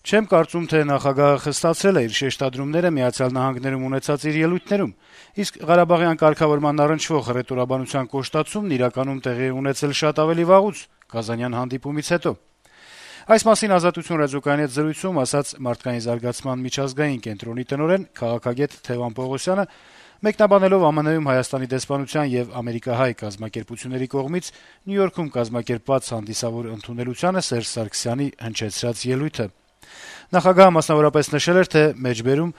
Չեմ կարծում, թե նախագահը խստացրել է իր շեշտադրումները Միացյալ Նահանգներում ունեցած իր ելույթներում, իսկ Ղարաբաղյան կարգավորման առնչվող հռետորաբանության կոշտացումն իրականում տեղի է ունեցել շատ ավելի վաղուց՝ Կազանյան հանդիպումից հետո։ Այս մասին «Ազատություն» ռադիոկայանի հետ զրույցում ասաց Մարդկային զարգացման միջազգային կենտրոնի տնօրեն, քաղաքագետ Թևան Պողոսյանը, մեկնաբանելով ԱՄՆ-ում Հայաստանի դեսպանության եւ ամերիկահայ կազմակերպությունների կողմից Նյու Յորքում կազմակերպված հանդիսավոր ընդունելությանը Սերժ Սարգսյանի հնչեցրած ելույթը։ Նախագահը մասնավորապես նշել էր, թե մեջբերում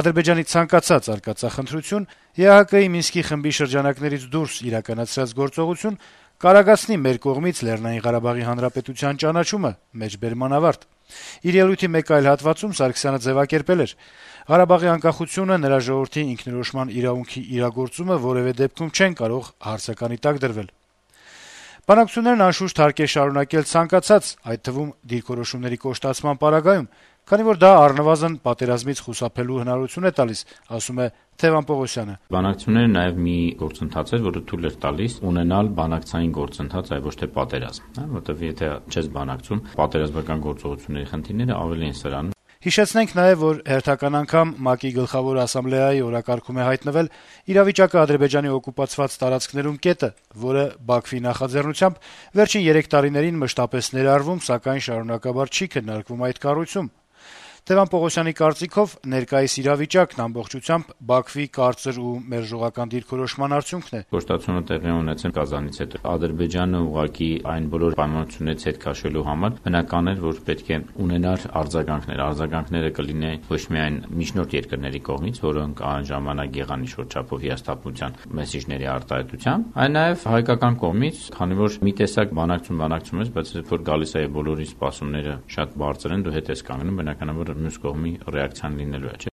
Ադրբեջանի ցանկացած արկածախնդրություն ԵԱՀԿ-ի Մինսկի խմբի շրջանակներից դուրս իրականացրած գործողություն կարագացնի մեր կողմից Լեռնային Ղարաբաղի Հանրապետության ճանաչումը, մեջբերման ավարտ։ Իր ելույթի մեկ այլ հատվածում Սարգսյանը ձևակերպել էր. «Ղարաբաղի անկախությունը, նրա ժողովրդի ինքնորոշման իրավունքի իրագործումը որեւէ դեպքում չեն կարող հարցականի տակ դրվել»։ Բանակցություններն անշուշտ հարկ է շարունակել ցանկացած, այդ թվում դիրքորոշումների կոշտացման պարագայում, քանի որ դա առնվազն պատերազմից խուսափելու հնարավորություն է տալիս, ասում է Թևան Պողոսյանը։ Բանակցությունները նաեւ մի գործընթաց էր, որը թույլ էր տալիս ունենալ բանակցային գործընթաց, այլ ոչ թե պատերազմ, որտեղ եթե չես բանակցում, պատերազմական գործողությունների խնդիրները ավելի են սրանում։ Հիշեցնենք նաեւ, որ հերթական անգամ ՄԱԿ-ի գլխավոր ասամբլեայի օրակարգում է հայտնվել իրավիճակը Ադրբեջանի օկուպացված տարածքներում կետը, որը Բաքվի նախաձեռնությամբ վերջին 3 տարիներին մշտապես ներառվում, սակայն շարունակաբար չի քննարկվում այդ կառույցում։ Թևան Պողոսյանի կարծիքով ներկայիս իրավիճակն ամբողջությամբ Բաքվի կարծր ու մերժողական դիրքորոշման արդյունքն է։ Կոշտացումը տեղի ունեցել Կազանից հետո։ Ադրբեջանը ուղղակի այն բոլոր պայմանություններից հետ քաշելու համար բնական էր, որ պետք է ունենար արձագանքներ։ Արձագանքները կլինեն ոչ միայն միջնորդ երկրների կողմից, որոնք այն ժամանակ եղան ինչ-որ չափով հիասթափության մեսիջների արտահայտությամբ, այլ նաև հայկական կողմից, քանի որ մի տեսակ բանակցում ես, բայց երբ որ գալիս է բոլորի սպասումները շատ բարձր են, դու հետ ես կանգնում, բնականաբար մյուս կողմի ռեակցիան լինելու է, չէ՞։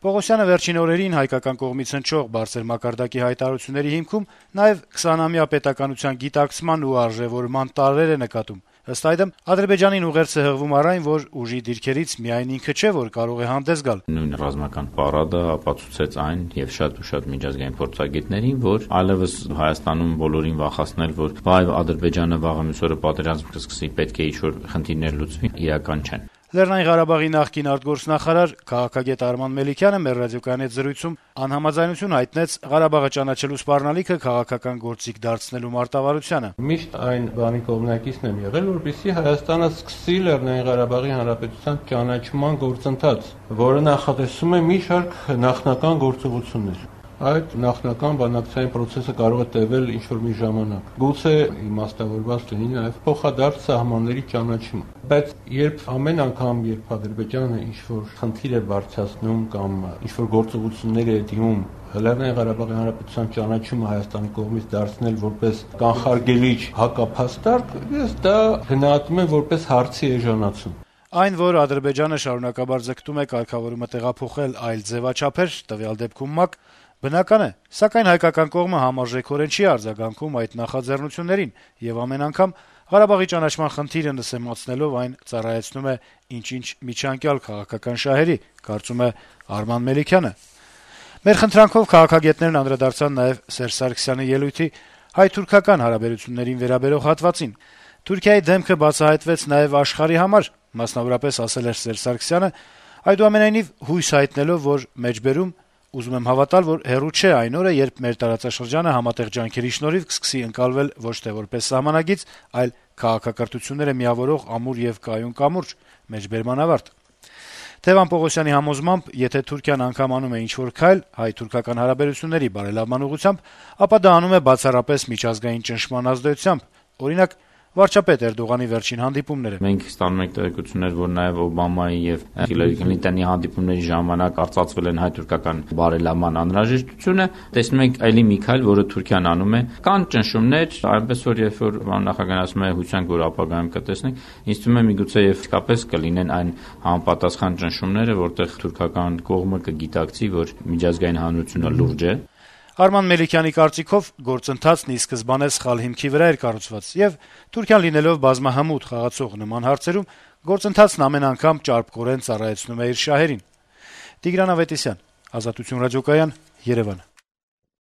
Պողոսյանը վերջին օրերին հայկական կողմից հնչող բարձր մակարդակի հայտարարությունների հիմքում նաև 20-ամյա պետականության գիտակցման ու արժեվորման տարրեր է նկատում։ Ըստ այդմ, Ադրբեջանին ուղերձ է հղվում առ այն, որ ուժի դիրքերից միայն ինքը չէ, որ կարող է հանդես գալ։ Նույն ռազմական պարադը ապացուցեց այն եւ շատ միջազգային փորձագետներին, որ այլևս Հայաստանում բոլորին վախացնել, որ վայ Ադրբեջանը վաղը մյուս օրը պատերազմ կսկսի, պետք է ինչ-որ խնդիրներ լուծվի, իրական չեն։ Լեռնային Ղարաբաղի նախկին արտգործնախարար քաղաքագետ Արման Մելիքյանը մեր ռադիոկայանի հետ զրույցում անհամաձայնություն հայտնեց Ղարաբաղը ճանաչելու սպառնալիքը քաղաքական գործիք դարձնելու մարտավարությանը։ Միշտ այն բանի կողմնակիցն եմ եղել, որպեսզի Հայաստանը սկսի Լեռնային Ղարաբաղի Հանրապետության ճանաչման գործընթաց, որը նախատեսում է մի շարք նախնական գործողություններ։ Այդ նախնական բանակցային process-ը կարող է տևել ինչ-որ մի ժամանակ։ Գուցե իմաստավորված լինի նաև փոխադարձ սահմանների ճանաչումը։ Բայց երբ ամեն անգամ, երբ Ադրբեջանը ինչ-որ խնդիր է բարձրացնում կամ ինչ-որ գործողություններ է դիմում Լեռնային Ղարաբաղի Հանրապետության ճանաչումը Հայաստանի կողմից դարձնել որպես կանխարգելիչ հակափաստարկ, ես դա գնահատում եմ որպես հարցի էժանացում։ Այն, որ Ադրբեջանը շարունակաբար ձգտում է կարգավորումը տեղափոխել այլ ձևաչափեր, տվյալ դեպքում ՄԱԿ, բնական է, սակայն հայկական կողմը համարժեքորեն չի արձագանքում այդ նախաձեռնություններին եւ ամեն անգամ Ղարաբաղի ճանաչման խնդիրը նսեմացնելով այն ծառայեցնում է ինչ-ինչ միջանկյալ քաղաքական շահերի, կարծում է Արման Մելիքյանը։ Մեր խնդրանքով քաղաքագետներն անդրադարձան նաեւ Սերժ Սարգսյանի ելույթի հայ-թուրքական հարաբերություններին վերաբերող հատվածին։ Թուրքիայի դեմքը բացահայտվեց նաեւ աշխարհի համար, մասնավորապես ասել էր Սերժ Սարգսյանը, այդուամենայնիվ հույս հայտնելով, որ մեջբերում ուզում եմ հավատալ, որ հեռու չէ այն օրը, երբ մեր տարածաշրջանը համատեղ ջանքերի շնորհիվ կսկսի ընկալվել ոչ թե որպես սահմանագիծ, այլ քաղաքակրթությունները միավորող ամուր եւ կայուն կամուրջ, մեջբերման ավարտ։ Թևան Պողոսյանի համոզմամբ, եթե Թուրքիան անգամ անում է ինչ-որ քայլ հայ-թուրքական հարաբերությունների բարելավման ուղղությամբ, ապա դա անում է բացառապես միջազգային ճնշման ազդեցությամբ, օրինակ վարչապետ Էրդողանի վերջին հանդիպումները։ Մենք ստանում ենք տեղեկություններ, որ նաև Օբամայի եւ Հիլարի Քլինտոնի հանդիպումների ժամանակ արծացվել են հայ-թուրքական բարելավման անհրաժեշտությունը։ Տեսնում ենք այլի մի քայլ, որը Թուրքիան անում է։ Կան ճնշումներ, այնպես որ երբ որ նախագահն ասում է հույսանք, որ ապագայում կտեսնենք, ինձ թվում է միգուցե եւ իսկապես կլինեն այն համապատասխան ճնշումները, որտեղ թուրքական կողմը կգիտակցի, որ միջազգային հանրությունը լուրջ է։ Արման Մելիքյանի կարծիքով գործընթացն ի սկզբանե սխալ հիմքի վրա էր կառուցված եւ Թուրքիան լինելով բազմահմուտ խաղացող նման հարցերում գործընթացն ամեն անգամ ճարպկորեն ծառայեցնում է իր շահերին։ Տիգրան Ավետիսյան, Ազատություն ռադիոկայան, Երևան։